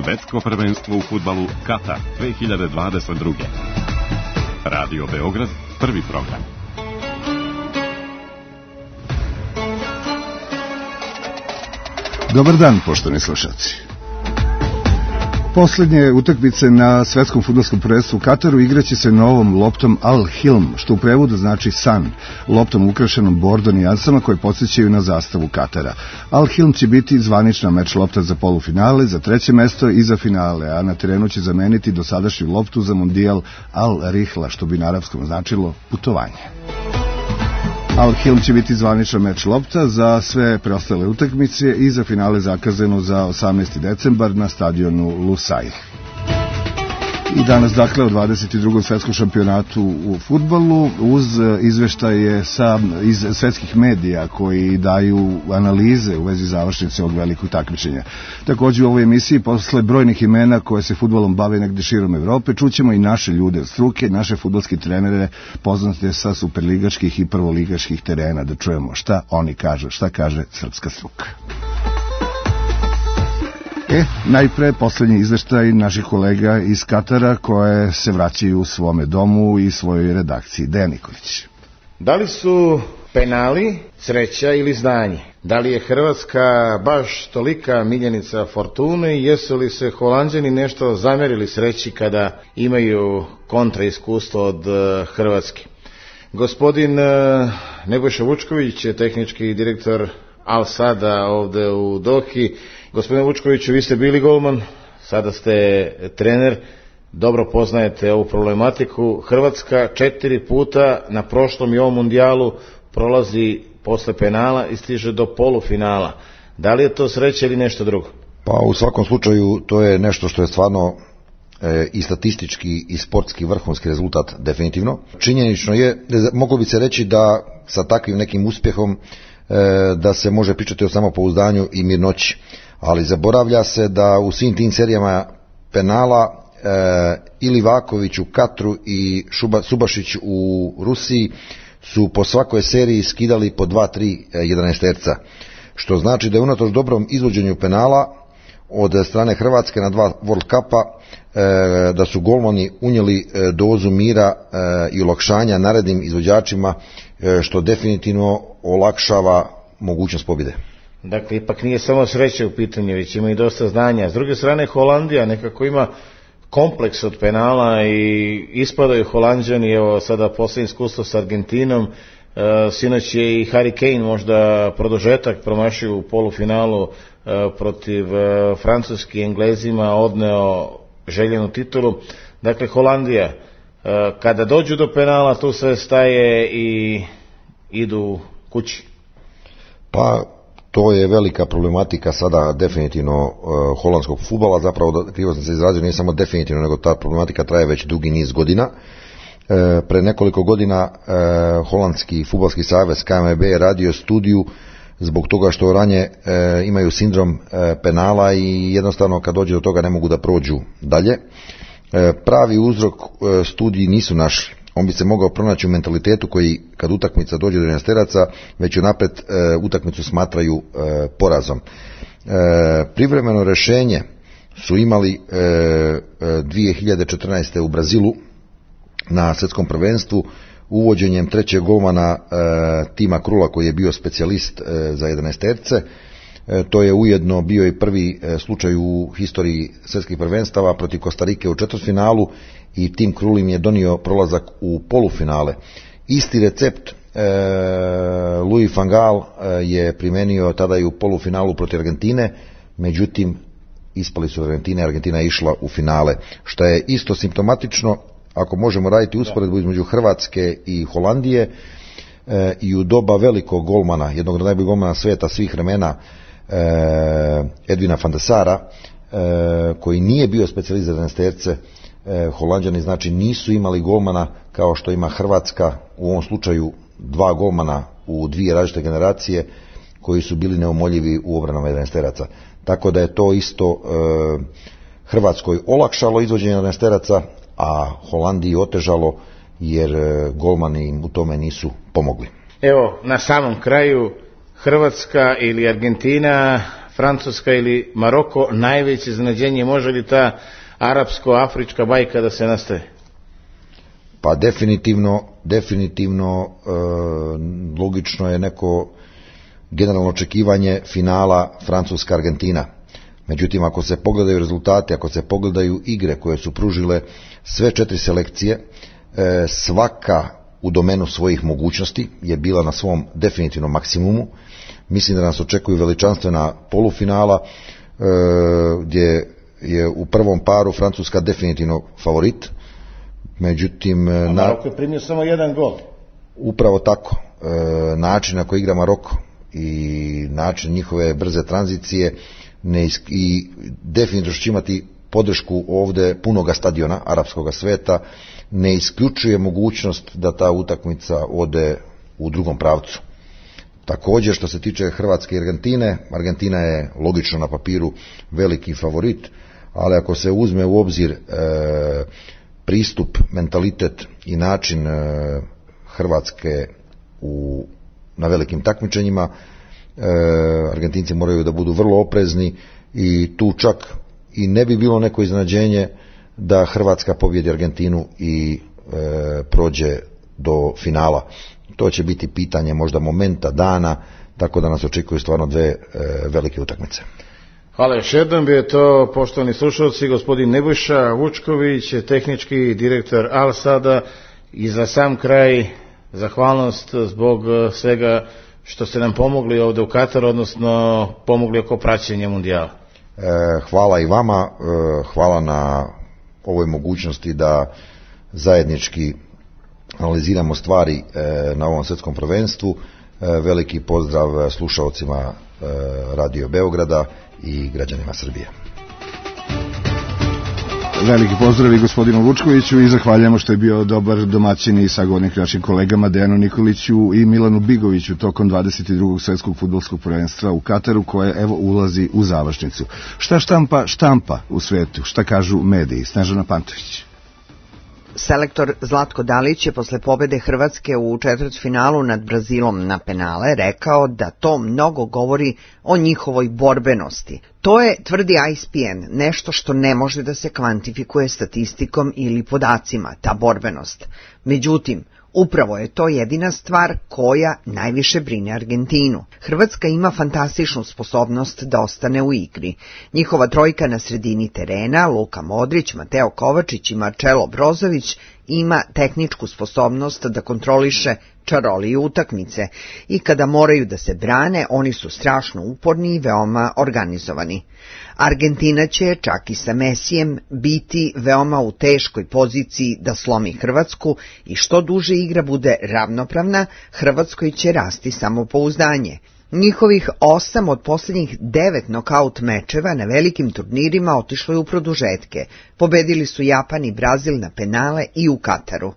Svetsko prvenstvo u fudbalu Katar 2022. Radio Beograd, prvi program. Dobar dan, poštovani slušalci. Poslednje utakmice na svetskom fudbalskom prvenstvu u Kataru igraće se novom loptom Al Hilm, što u prevodu znači san, loptom ukrašenom bordom i nijansama koje podsjećaju na zastavu Katara. Al Hilm će biti zvanična meč lopta za polufinale, za treće mesto i za finale, a na terenu će zameniti dosadašnju loptu za mondijal Al Rihla, što bi na arapskom značilo putovanje. Al Hilm će biti zvanična meč lopta za sve preostale utakmice i za finale zakazano za 18. decembar na stadionu Lusail. I danas, dakle, o 22. svetskom šampionatu u fudbalu uz izveštaje iz svetskih medija koji daju analize u vezi završnice ovog velikog takmičenja. Također u ovoj emisiji, posle brojnih imena koje se fudbalom bave negde širom Evrope, čućemo i naše ljude od struke, naše fudbalske trenere poznate sa superligaških i prvoligaških terena, da čujemo šta oni kažu, šta kaže srpska struka. Najpre poslednji izveštaj naših kolega iz Katara koje se vraćaju u svome domu i svojoj redakciji. Dejan Nikolić. Da li su penali sreća ili znanje? Da li je Hrvatska baš tolika miljenica fortune i jesu li se Holanđani nešto zamerili sreći kada imaju kontra iskustvo od Hrvatske? Gospodin Nebojša Vučković je tehnički direktor Al Sada ovde u Dohi. Gospodine Vučkoviću, vi ste bili golman, sada ste trener, dobro poznajete ovu problematiku. Hrvatska 4 puta na prošlom i ovom mundijalu prolazi posle penala i stiže do polufinala. Da li je to sreća ili nešto drugo? Pa u svakom slučaju to je nešto što je stvarno i statistički i sportski vrhunski rezultat definitivno. Činjenično je, moglo bi se reći da sa takvim nekim uspjehom da se može pričati o samopouzdanju i mirnoći. Ali zaboravlja se da u svim tim serijama penala i Livaković u Katru i Subašić u Rusiji su po svakoj seriji skidali po 2-3 jedanaesterca. Što znači da je unatoč dobrom izvođenju penala od strane Hrvatske na 2 World Cupa da su golmani unijeli dozu mira i olakšanja narednim izvođačima, što definitivno olakšava mogućnost pobjede. Dakle, ipak nije samo sreća u pitanju, već ima i dosta znanja. S druge strane, Holandija nekako ima kompleks od penala i ispadaju Holanđani, evo sada posljednje iskustvo s Argentinom, sinoć je i Harry Kane možda produžetak promašio u polufinalu protiv Francuski, Englezima, odneo željenu titulu. Dakle, Holandija, kada dođu do penala, tu sve staje i idu kući. Pa to je velika problematika sada definitivno holandskog fudbala, zapravo krivo sam se izrazio, nije samo definitivno, nego ta problematika traje već dugi niz godina. Pre nekoliko godina Holandski fudbalski savez KNVB je radio studiju zbog toga što Oranje imaju sindrom penala i jednostavno kad dođe do toga ne mogu da prođu dalje. Pravi uzrok studiji nisu našli. On bi se mogao pronaći u mentalitetu koji kad utakmica dođe do jedanaesteraca već unapred utakmicu smatraju porazom. Privremeno rješenje su imali 2014. u Brazilu na svjetskom prvenstvu uvođenjem trećeg golmana Tima Krula koji je bio specijalist za jedanaesterce. To je ujedno bio i prvi slučaj u historiji svjetskih prvenstava protiv Kostarike u četvrtfinalu i Tim Krul im je donio prolazak u polufinale. Isti recept Louis van Gaal je primenio tada i u polufinalu protiv Argentine, međutim ispali su Argentine, Argentina je išla u finale, što je isto simptomatično ako možemo raditi usporedbu između Hrvatske i Holandije i u doba velikog golmana, jednog od najboljih golmana svijeta svih vremena, Edvina van der Sara, koji nije bio specijalist za jedanaesterce, Holanđani znači nisu imali golmana kao što ima Hrvatska, u ovom slučaju 2 golmana u 2 različite generacije koji su bili neumoljivi u obranama jedanaesteraca. Tako da je to isto Hrvatskoj olakšalo izvođenje jedanaesteraca, a Holandiji otežalo jer golmani im u tome nisu pomogli. Evo, na samom kraju, Hrvatska ili Argentina, Francuska ili Maroko najveće iznenađenje? Može li ta arapsko-afrička bajka da se nastavi? Pa definitivno logično je neko generalno očekivanje finala Francuska-Argentina. Međutim, ako se pogledaju rezultati, ako se pogledaju igre koje su pružile sve 4 selekcije, svaka u domenu svojih mogućnosti je bila na svom definitivnom maksimumu. Mislim da nas očekuju veličanstvena polufinala, gdje je u prvom paru Francuska definitivno favorit. Međutim, Maroko je primio samo 1 gol. Upravo tako. Način na koji igra Maroko i način njihove brze tranzicije i definitivno će imati podršku ovde punoga stadiona arapskog sveta, ne isključuje mogućnost da ta utakmica ode u drugom pravcu. Također, što se tiče Hrvatske i Argentine, Argentina je logično na papiru veliki favorit, ali ako se uzme u obzir pristup, mentalitet i način Hrvatske na velikim takmičenjima, Argentinci moraju da budu vrlo oprezni i tu čak i ne bi bilo neko iznenađenje da Hrvatska pobjedi Argentinu i prođe do finala. To će biti pitanje možda momenta, dana, tako da nas očekuju stvarno 2 velike utakmice. Hvala još jednom, bio je to, poštovani slušalci, gospodin Nebojša Vučković, tehnički direktor Al Sada, i za sam kraj zahvalnost zbog svega što ste nam pomogli ovdje u Kataru, odnosno pomogli oko praćenja mundijala. Hvala i vama, hvala na ovoj mogućnosti da zajednički analiziramo stvari na ovom svjetskom prvenstvu. Veliki pozdrav slušalcima Radio Beograda i građanima Srbije. Veliki pozdrav i gospodinu Vučkoviću i zahvaljujemo što je bio dobar domaćin i sagovornik našim kolegama Dejanu Nikoliću i Milanu Bigoviću tokom 22. svjetskog fudbalskog prvenstva u Kataru, koje evo ulazi u završnicu. Šta štampa u svetu? Šta kažu mediji? Snežana Pantović. Selektor Zlatko Dalić je posle pobede Hrvatske u četvrtfinalu nad Brazilom na penale rekao da to mnogo govori o njihovoj borbenosti. To je, tvrdi ESPN, nešto što ne može da se kvantifikuje statistikom ili podacima, ta borbenost. Međutim, upravo je to jedina stvar koja najviše brine Argentinu. Hrvatska ima fantastičnu sposobnost da ostane u igri. Njihova trojka na sredini terena, Luka Modrić, Mateo Kovačić i Marcelo Brozović, ima tehničku sposobnost da kontroliše čaroliju utakmice i kada moraju da se brane, oni su strašno uporni i veoma organizovani. Argentina će, čak i sa Mesijem, biti veoma u teškoj poziciji da slomi Hrvatsku i što duže igra bude ravnopravna, Hrvatskoj će rasti samopouzdanje. Njihovih 8 od posljednjih 9 nokaut mečeva na velikim turnirima otišlo je u produžetke. Pobedili su Japan i Brazil na penale i u Kataru.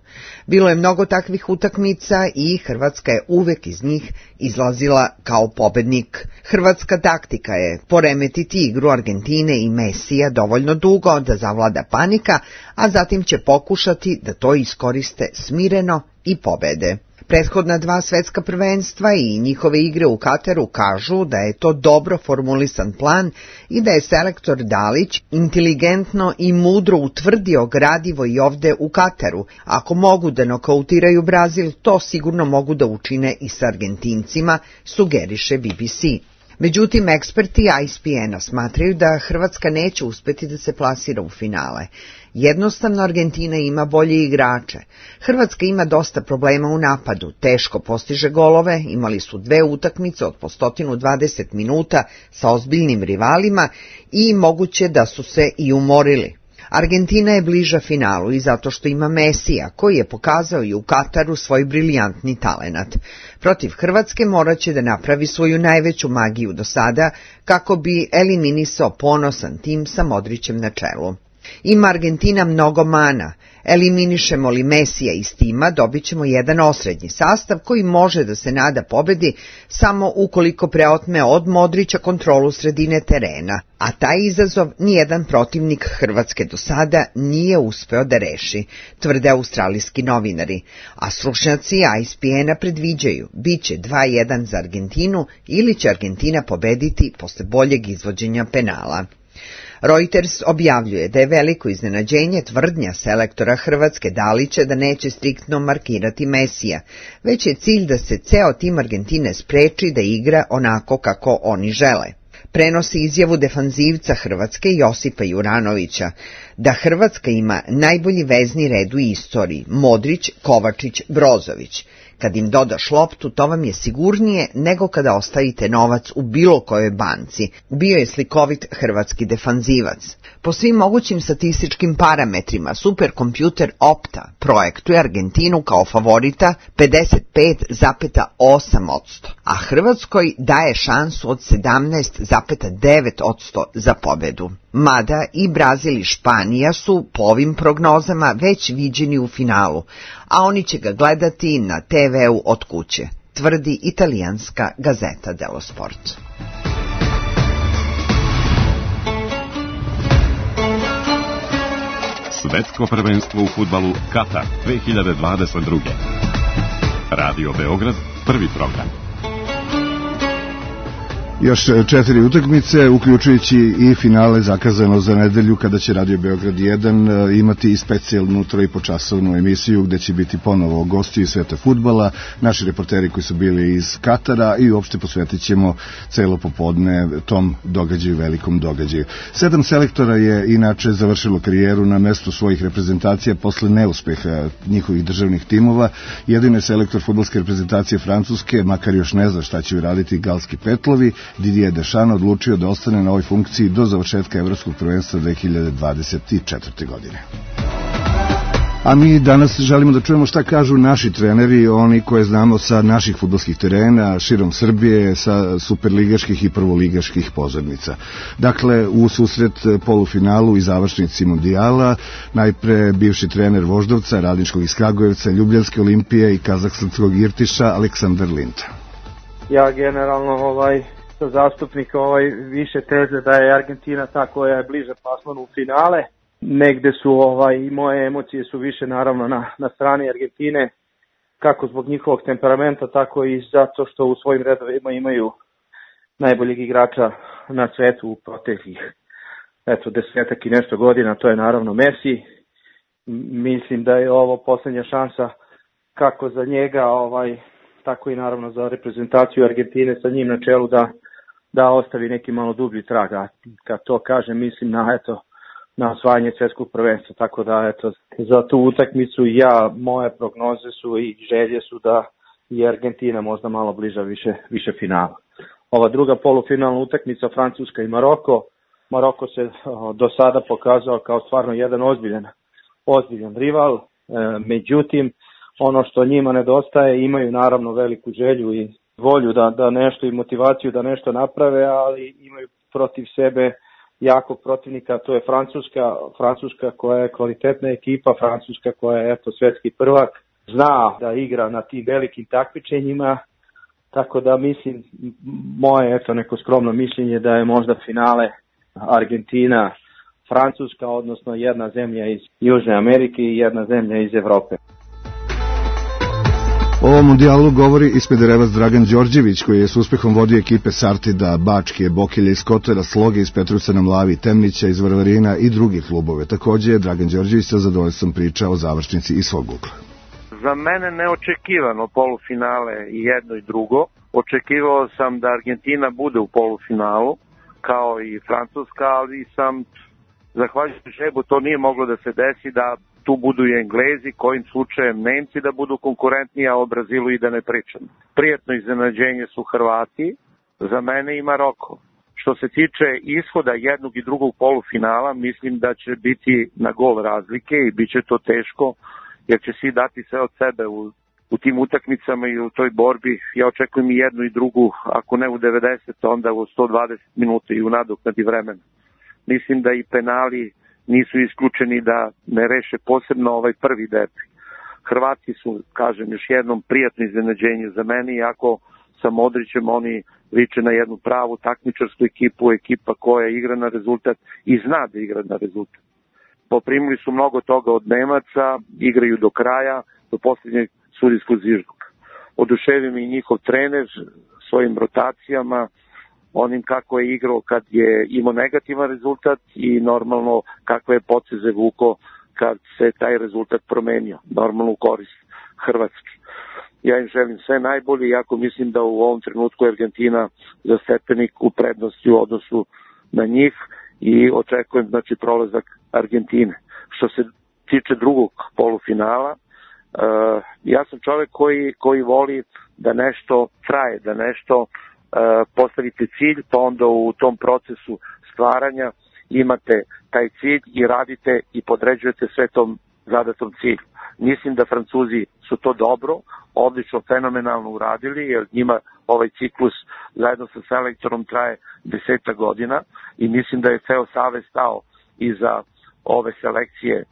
Bilo je mnogo takvih utakmica i Hrvatska je uvek iz njih izlazila kao pobednik. Hrvatska taktika je poremetiti igru Argentine i Mesija dovoljno dugo da zavlada panika, a zatim će pokušati da to iskoriste smireno i pobede. Prethodna 2 svetska prvenstva i njihove igre u Kataru kažu da je to dobro formulisan plan i da je selektor Dalić inteligentno i mudro utvrdio gradivo i ovde u Kataru. Ako mogu da nokautiraju Brazil, to sigurno mogu da učine i s Argentincima, sugeriše BBC. Međutim, eksperti ESPN-a smatraju da Hrvatska neće uspeti da se plasira u finale. Jednostavno, Argentina ima bolje igrače. Hrvatska ima dosta problema u napadu, teško postiže golove, imali su 2 utakmice od po 120 minuta sa ozbiljnim rivalima i moguće da su se i umorili. Argentina je bliža finalu i zato što ima Mesija, koji je pokazao i u Kataru svoj briljantni talenat. Protiv Hrvatske morat će da napravi svoju najveću magiju do sada kako bi eliminisao ponosan tim sa Modrićem na čelu. Ima Argentina mnogo mana. Eliminišemo li Mesija iz tima, dobit ćemo jedan osrednji sastav koji može da se nada pobedi samo ukoliko preotme od Modrića kontrolu sredine terena, a taj izazov nijedan protivnik Hrvatske do sada nije uspeo da reši, tvrde australijski novinari, a stručnjaci ESPN-a predviđaju biće 2:1 za Argentinu ili će Argentina pobediti posle boljeg izvođenja penala. Reuters objavljuje da je veliko iznenađenje tvrdnja selektora Hrvatske Dalića da neće striktno markirati Mesija, već je cilj da se ceo tim Argentine spreči da igra onako kako oni žele. Prenosi izjavu defanzivca Hrvatske Josipa Juranovića da Hrvatska ima najbolji vezni red u istoriji, Modrić, Kovačić, Brozović. Kad im dodaš loptu, to vam je sigurnije nego kada ostavite novac u bilo kojoj banci, bio je slikovit hrvatski defanzivac. Po svim mogućim statističkim parametrima, superkompjuter Opta projektuje Argentinu kao favorita 55,8%, a Hrvatskoj daje šansu od 17,9% za pobedu. Mada i Brazil i Španija su po ovim prognozama već viđeni u finalu, a oni će ga gledati na TV-u od kuće, tvrdi italijanska Gazeta dello Sport. Svetsko prvenstvo u fudbalu Katar 2022. Radio Beograd, prvi program. Još 4 utakmice, uključujući i finale zakazano za nedelju kada će Radio Beograd 1 imati i specijalnu 3,5-časovnu emisiju gde će biti ponovo gosti iz sveta fudbala, naši reporteri koji su bili iz Katara i uopšte posvetit ćemo celo popodne tom događaju, velikom događaju. 7 selektora je inače završilo karijeru na mestu svojih reprezentacija posle neuspeha njihovih državnih timova. Jedini je selektor fudbalske reprezentacije Francuske, makar još ne zna šta će uraditi Galski Petlovi, Didier Deschamps odlučio da ostane na ovoj funkciji do završetka Evropskog prvenstva 2024. godine. A mi danas želimo da čujemo šta kažu naši treneri, oni koje znamo sa naših fudbalskih terena, širom Srbije, sa superligaških i prvoligaških pozornica. Dakle, u susret polufinalu i završnici mundijala, najpre bivši trener Voždovca, Radničkog iz Kragujevca, Ljubljanske Olimpije i Kazahstanskog Irtiša, Aleksandar Linta. Ja generalno sam zastupnik više teze da je Argentina ta koja je bliže plasmanu u finale. Negde su i moje emocije su više naravno na strani Argentine, kako zbog njihovog temperamenta, tako i zato što u svojim redovima imaju najboljeg igrača na svetu u proteklih 10 i nešto godina, to je naravno Messi. Mislim da je ovo posljednja šansa kako za njega, tako i naravno za reprezentaciju Argentine sa njim na čelu da ostavi neki malo dublji trag. A kad to kažem, mislim na osvajanje svjetskog prvenstva. Tako da za tu utakmicu moje prognoze su i želje su da je Argentina možda malo bliža više finala. Ova druga polufinalna utakmica, Francuska i Maroko. Maroko se do sada pokazao kao stvarno jedan ozbiljan rival. Međutim, ono što njima nedostaje, imaju naravno veliku želju i volju da nešto i motivaciju da nešto naprave, ali imaju protiv sebe jakog protivnika, to je Francuska koja je kvalitetna ekipa, Francuska koja je svjetski prvak, zna da igra na tim velikim takmičenjima, tako da mislim, moje neko skromno mišljenje da je možda finale Argentina, Francuska, odnosno jedna zemlja iz Južne Amerike i jedna zemlja iz Evrope. O ovom mundijalu govori i Smederevac Dragan Đorđević, koji je s uspehom vodio ekipe Sartida, Bačke, Bokelja iz Kotara, Sloge iz Petrovca na Mlavi, Temnića iz Varvarina i drugih klubove. Također je Dragan Đorđević sa zadovoljstvom pričao o završnici iz svog ugla. Za mene neočekivano polufinale i jedno i drugo. Očekivao sam da Argentina bude u polufinalu, kao i Francuska, ali sam, zahvaljujući Žebu, to nije moglo da se desi, da tu budu i Englezi, kojim slučajem Nemci da budu konkurentni, a o Brazilu i da ne pričam. Prijetno iznenađenje su Hrvati, za mene i Maroko. Što se tiče ishoda jednog i drugog polufinala, mislim da će biti na gol razlike i bit će to teško, jer će svi dati sve od sebe u tim utakmicama i u toj borbi. Ja očekujem i jednu i drugu, ako ne u 90, onda u 120 minuta i u nadoknadi vremena. Mislim da i penali nisu isključeni da ne reše posebno ovaj prvi derbi. Hrvati su, kažem još jednom, prijatno iznenađenje za mene, iako sa Modrićem oni liče na jednu pravu takmičarsku ekipu, ekipa koja igra na rezultat i zna da igra na rezultat. Poprimili su mnogo toga od Nemaca, igraju do kraja, do posljednjeg sudijskog zvižduka. Oduševio mi i njihov trener svojim rotacijama, onim kako je igrao kad je imao negativan rezultat i normalno kakve je poteze vuko kad se taj rezultat promenio, normalno u korist Hrvatske. Ja im želim sve najbolje, iako mislim da u ovom trenutku Argentina za stepenik u prednosti u odnosu na njih i očekujem znači prolazak Argentine. Što se tiče drugog polufinala, ja sam čovjek koji voli da nešto traje, da nešto postavite cilj, pa onda u tom procesu stvaranja imate taj cilj i radite i podređujete sve tom zadatom cilju. Mislim da Francuzi su to dobro, odlično, fenomenalno uradili, jer njima ovaj ciklus zajedno sa selektorom traje 10 godina i mislim da je ceo savez stao iza ove selekcije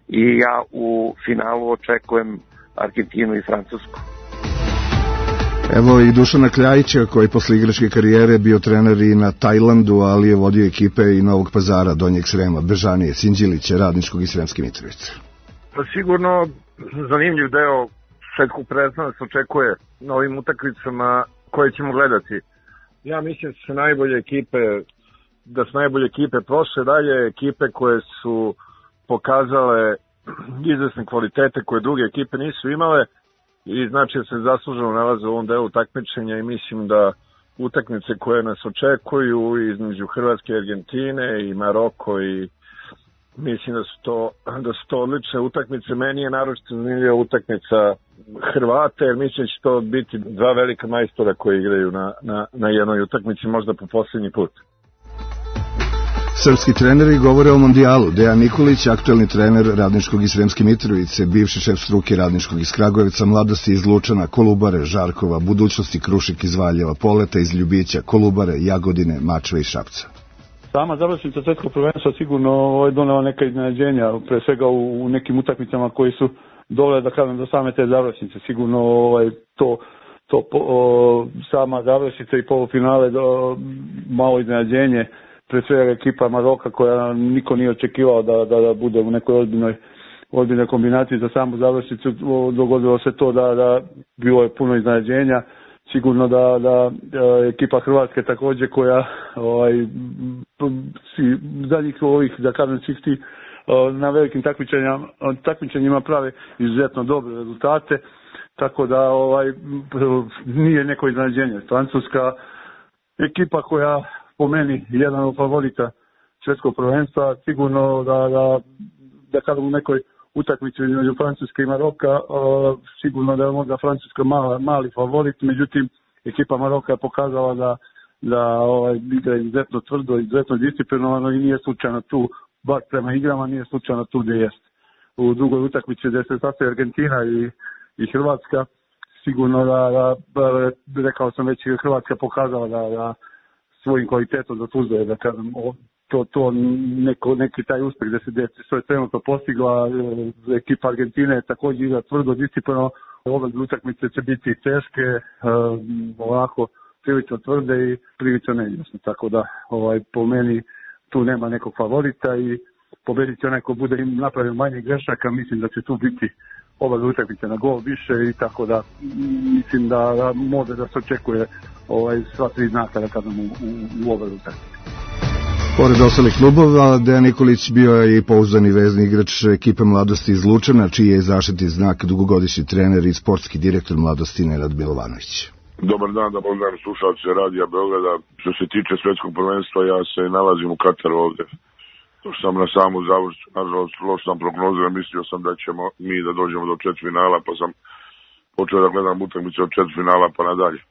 i ja u finalu očekujem Argentinu i Francusku. Evo i Dušana Kljajića, koji posle igračke karijere bio trener i na Tajlandu, ali je vodio ekipe i Novog Pazara, Donjeg Srema, Bežanije, Sinđilića, Radničkog i Sremske Mitrovice. Pa sigurno zanimljiv deo svetskog prvenstva nas očekuje na ovim utakmicama koje ćemo gledati. Ja mislim da su najbolje ekipe prošle, dalje ekipe koje su pokazale izvesne kvalitete koje druge ekipe nisu imale i znači da se zasluženo nalaze u ovom delu takmičenja i mislim da utakmice koje nas očekuju između Hrvatske i Argentine i Maroko i mislim da su to odlične utakmice. Meni je naročito zanimljiva utakmica Hrvate, jer mislim da će to biti dva velika majstora koji igraju na jednoj utakmici, možda po posljednji put. Srpski treneri govore o mondijalu. Dejan Nikolić, aktuelni trener Radničkog i Sremske Mitrovice, bivši šef struke Radničkog iz Kragujevca, Mladosti iz Lučana, Kolubare, Žarkova, Budućnosti, Krušik iz Valjeva, Poleta iz Ljubića, Kolubare, Jagodine, Mačve i Šapca. Sama završnica svetskog prvenstva sigurno donela neka iznenađenja, pre svega u nekim utakmicama koji su dovele do same te završnice. Sigurno sama završnica i polufinale malo iznenađenje, pre svega ekipa Maroka koja niko nije očekivao da bude u nekoj ozbiljnoj kombinaciji za samu završnicu. Dogodilo se to da bilo je puno iznenađenja. Sigurno da ekipa Hrvatske također koja zadnjih ovih, da kažem, na velikim takmičenjima prave izuzetno dobre rezultate, tako da nije neko iznenađenje. Francuska ekipa koja po meni jedan od favorita svjetskog prvenstva, sigurno da kažem u nekoj utakmici između Francuske i Maroka, sigurno da je možda Francuska mali favorit, međutim ekipa Maroka je pokazala da igra izuzetno tvrdo, izuzetno disciplinovano i nije slučajno tu, bar prema igrama, nije slučajno tu gdje jest. U drugoj utakmici gdje se sastoji Argentina i Hrvatska, sigurno da rekao sam već, Hrvatska pokazala da svojim kvalitetom zaslužuje, da kažem, neki taj uspjeh gdje se je trenutno postigla. Ekipa Argentine je također igra tvrdo, disciplinovano. Ove utakmice će biti teške, ovako prilično tvrde i prilično neizvjesne, tako da po meni tu nema nekog favorita i pobedit će onaj ko bude im napravio manje grešaka. Mislim da će tu biti ove utakmice na gol više i tako da mislim da može da se očekuje sva tri znaka, da kažem, u ove utakmice. Pored ostalih klubova, Dejan Nikolić bio je i pouzdani vezni igrač ekipe Mladosti iz Lučana, čiji je zaštitni znak dugogodišnji trener i sportski direktor Mladosti Nenad Milovanović. Dobar dan, da pozdravim slušalce Radija Beograda. Što se tiče svetskog prvenstva, ja se nalazim u Kataru ovde. To sam na samu završću, nažalost, loš sam prognozio, mislio sam da ćemo mi da dođemo do četvrtfinala, pa sam počeo da gledam utakmice od četvrtfinala pa nadalje.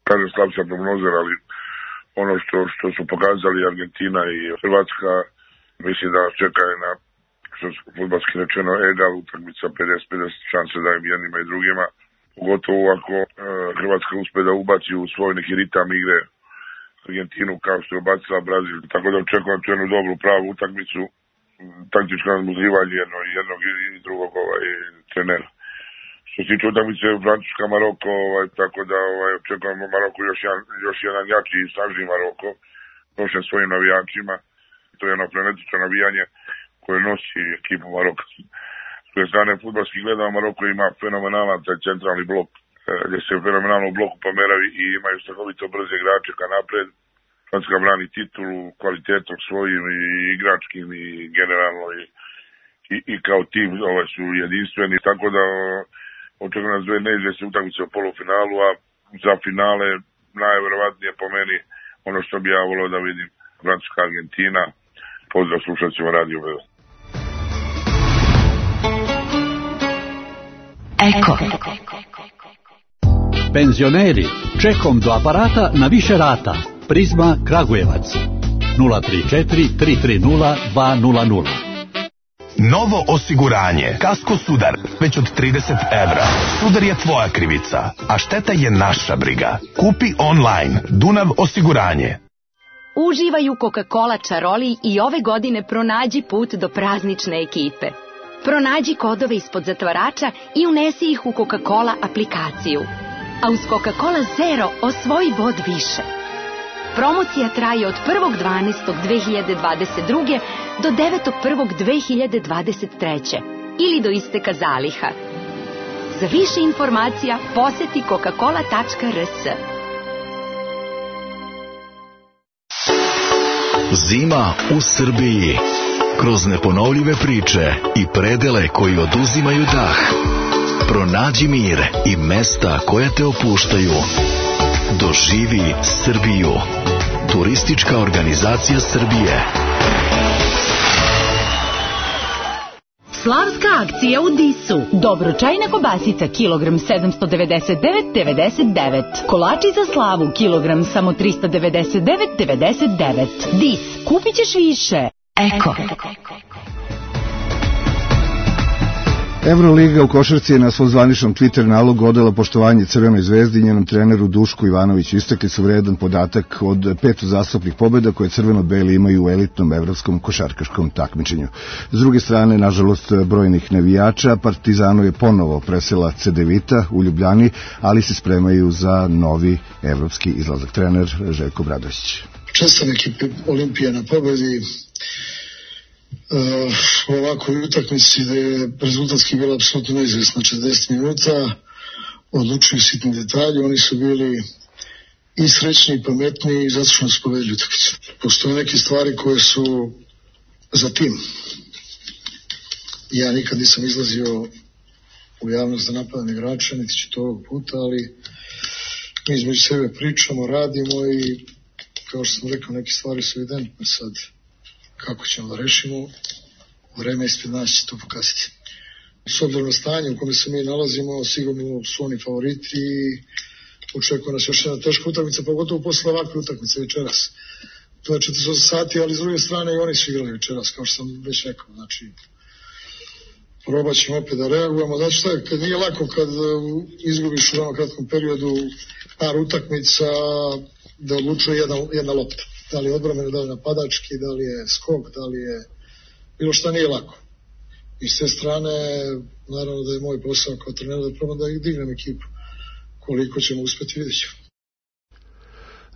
Kažem, slab sam prognozer, ali ono što su pokazali Argentina i Hrvatska, mislim da nas čeka na, što su fudbalski rečeno, egal utakmica, 50-50 šanse da im jednima i drugima, pogotovo ako Hrvatska uspe da ubaci u svoj neki ritam igre Argentinu kao što je ubacila Brazil, tako da očekujem tu jednu dobru pravu utakmicu taktičko nadmudrivanje jednog i drugog trenera. Što se tiče utakmice Francuska Maroko, tako da očekujemo Maroko još jedan jači i snažniji Maroko, nošen svojim navijačima. To je jedno frenetično navijanje koje nosi ekipu Maroka. S koje strane fudbalski gledamo, Maroko ima fenomenalan taj centralni blok, gdje se fenomenalno u bloku pomeravi i imaju strahovito brze igrače ka napred. Francuska brani titulu kvalitetom svojim i igračkim i generalno i kao tim su jedinstveni, tako da očekujem nas dve neizvjesne utakmice u polufinalu, a za finale najverovatnije po meni ono što bi ja volio da vidim, Francuska Argentina. Pozdrav slušacima Radio Beograd. Eko. Penzioneri, čekom do aparata na više rata. Prizma Kragujevac 034 330 200. Novo osiguranje. Kasko Sudar. Već od 30 evra. Sudar je tvoja krivica, a šteta je naša briga. Kupi online. Dunav osiguranje. Uživaj u Coca-Cola čaroli i ove godine pronađi put do praznične ekipe. Pronađi kodove ispod zatvarača i unesi ih u Coca-Cola aplikaciju. A uz Coca-Cola Zero osvoji bod više. Promocija traje od 1.12.2022. do 9.1.2023. ili do isteka zaliha. Za više informacija poseti coca-cola.rs. Zima u Srbiji. Kroz neponovljive priče i predele koji oduzimaju dah. Pronađi mir i mesta koja te opuštaju. Doživi Srbiju. Turistička organizacija Srbije. Slavska akcija u Disu. Dobročajna kobasica kilogram 799,99. Kolači za slavu kilogram samo 399,99. Dis, kupit ćeš više. Eko. Euroliga u košarci je na svom zvaničnom Twitter nalogu odala poštovanje Crvenoj zvezdi i njenom treneru Dušku Ivanoviću. Istakli su vredan podatak od 5 uzastopnih pobjeda koje crveno-beli imaju u elitnom evropskom košarkaškom takmičenju. S druge strane, nažalost, brojnih navijača, Partizanu je ponovo presela Cedevita u Ljubljani, ali se spremaju za novi evropski izlazak. Trener Željko Bradović. Čestam ekipe Olimpije na pobjedi. U ovakvoj utakmici da je rezultatski bila apsolutno neizvjesna 40 minuta, odlučuju sitni detalji, oni su bili i srećni i pametni i zato što nas povedili utakmicu. Postoje neke stvari koje su za tim. Ja nikad nisam izlazio u javnost da napadam igrača, niti ću to ovog puta, ali mi između sebe pričamo, radimo i kao što sam rekao, neke stvari su evidentne sad. Kako ćemo da rešimo, vreme ispred nas će to pokazati. S obzirom na stanje u kome se mi nalazimo, sigurno su oni favoriti i očekuje nas još jedna teška utakmica, pogotovo posle ovakve utakmice večeras. To je 48 sati, ali s druge strane i oni su igrali večeras, kao što sam već rekao. Znači, probat ćemo opet da reagujemo. Znači šta je, kad nije lako kad izgubiš u veoma kratkom periodu par utakmica da odlučuje jedna lopta. Da li je odbrambeno, da li je napadački, da li je skok, da li je bilo šta nije lako. I s te strane, naravno da je moj posao kao trener da probam da dignem ekipu. Koliko ćemo uspjeti, vidjet ćemo.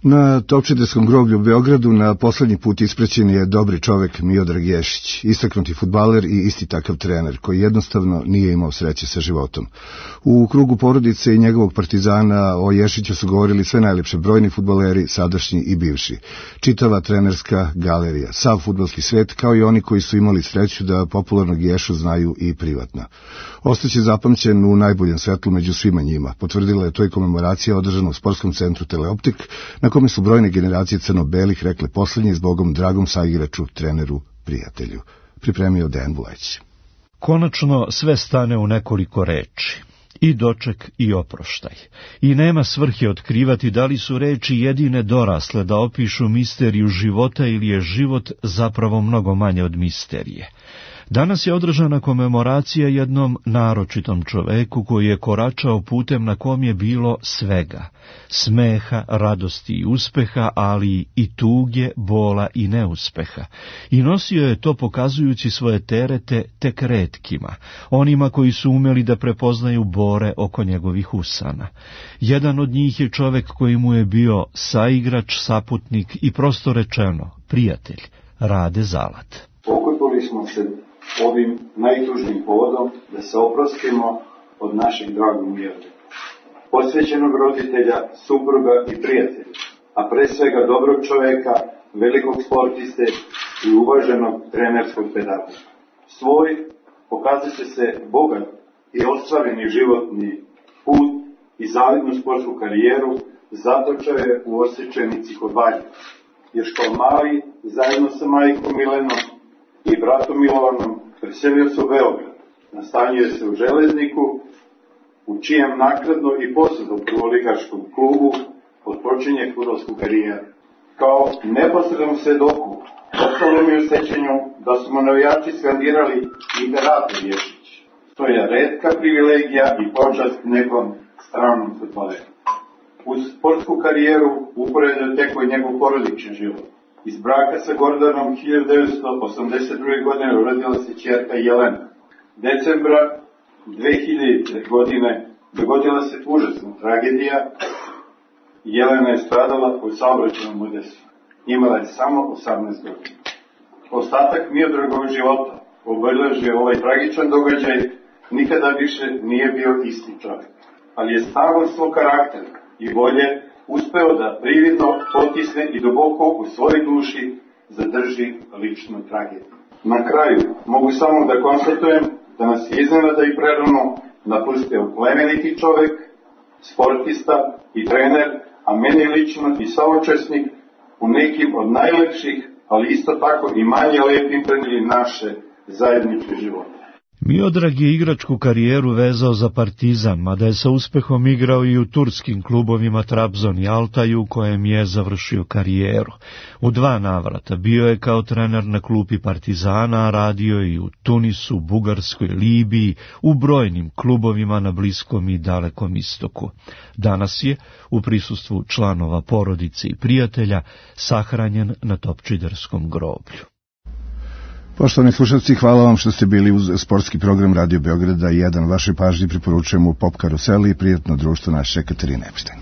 Na Topčiderskom groblju u Beogradu na poslednji put ispraćen je dobri čovek Miodrag Ješić, istaknuti fudbaler i isti takav trener, koji jednostavno nije imao sreće sa životom. U krugu porodice i njegovog Partizana o Ješiću su govorili sve najlepše brojni fudbaleri, sadašnji i bivši. Čitava trenerska galerija, sav fudbalski svet, kao i oni koji su imali sreću da popularnog Ješu znaju i privatno. Ostaće zapamćen u najboljem svetlu među svima njima. Potvrdila je to i komemoracija održana u sportskom centru Teleoptik, na kome su brojne generacije crno-belih rekle poslednje zbogom dragom saigraču, treneru, prijatelju. Pripremio Dejan Vuleć. Konačno sve stane u nekoliko reči. I doček i oproštaj. I nema svrhe otkrivati da li su reči jedine dorasle da opišu misteriju života ili je život zapravo mnogo manje od misterije. Danas je održana komemoracija jednom naročitom čoveku koji je koračao putem na kom je bilo svega, smeha, radosti i uspeha, ali i tuge, bola i neuspeha. I nosio je to pokazujući svoje terete tek retkima, onima koji su umeli da prepoznaju bore oko njegovih usana. Jedan od njih je čovek koji mu je bio saigrač, saputnik i prosto rečeno prijatelj, Rade Zalat. Okupili smo se ovim najtužnijim povodom da se oprostimo od našeg dragog Mileta, posvećenog roditelja, supruga i prijatelja, a pre svega dobrog čoveka, velikog sportiste i uvaženog trenerskog pedagoga. Svoj pokazat će se bogat i ostvareni životni put i zavidnu sportsku karijeru zatočao je u Osečenici kod Valja. Još kao mali, zajedno sa majkom Milenom i bratom Milovanom, preselio se u Beograd. Nastanio se u Železniku, u čijem nakladno i posebno prvoligaškom klubu otpočinje fudbalsku karijeru. Kao neposrednom svedoku, ostalo mi u sećanju da smo navijači skandirali Imperator Ješić. To je retka privilegija i počast nekom stranom fudbaleru. Uz sportsku karijeru uporedo teko je njegov porodični život. Iz braka sa Gordanom 1982. godine rodila se ćerka Jelena. Decembra 2000. godine dogodila se užasna tragedija. Jelena je stradala u saobraćajnom udesu. Imala je samo 18 godina. Ostatak Miodragovog života obeležio ovaj tragičan događaj, nikada više nije bio isti čovjek. Ali je snagom svog karaktera i volje uspeo da prividno potisne i duboko u svojoj duši zadrži ličnu tragediju. Na kraju mogu samo da konstatujem da nas je iznenada i prerano napustio plemeniti čovjek, sportista i trener, a meni lično i saučesnik u nekim od najlepših, ali isto tako i manje lepim predmetima naše zajedničke živote. Miodrag je igračku karijeru vezao za Partizan, mada je sa uspehom igrao i u turskim klubovima Trabzon i Altaju, u kojem je završio karijeru. U 2 navrata bio je kao trener na klupi Partizana, a radio je i u Tunisu, Bugarskoj, Libiji, u brojnim klubovima na Bliskom i Dalekom istoku. Danas je, u prisustvu članova porodice i prijatelja, sahranjen na Topčiderskom groblju. Poštovani slušalci, hvala vam što ste bili uz sportski program Radio Beograda 1. Vašoj pažnji preporučujemo Pop Karuseli i prijatno društvo naše Katarine Epštajn.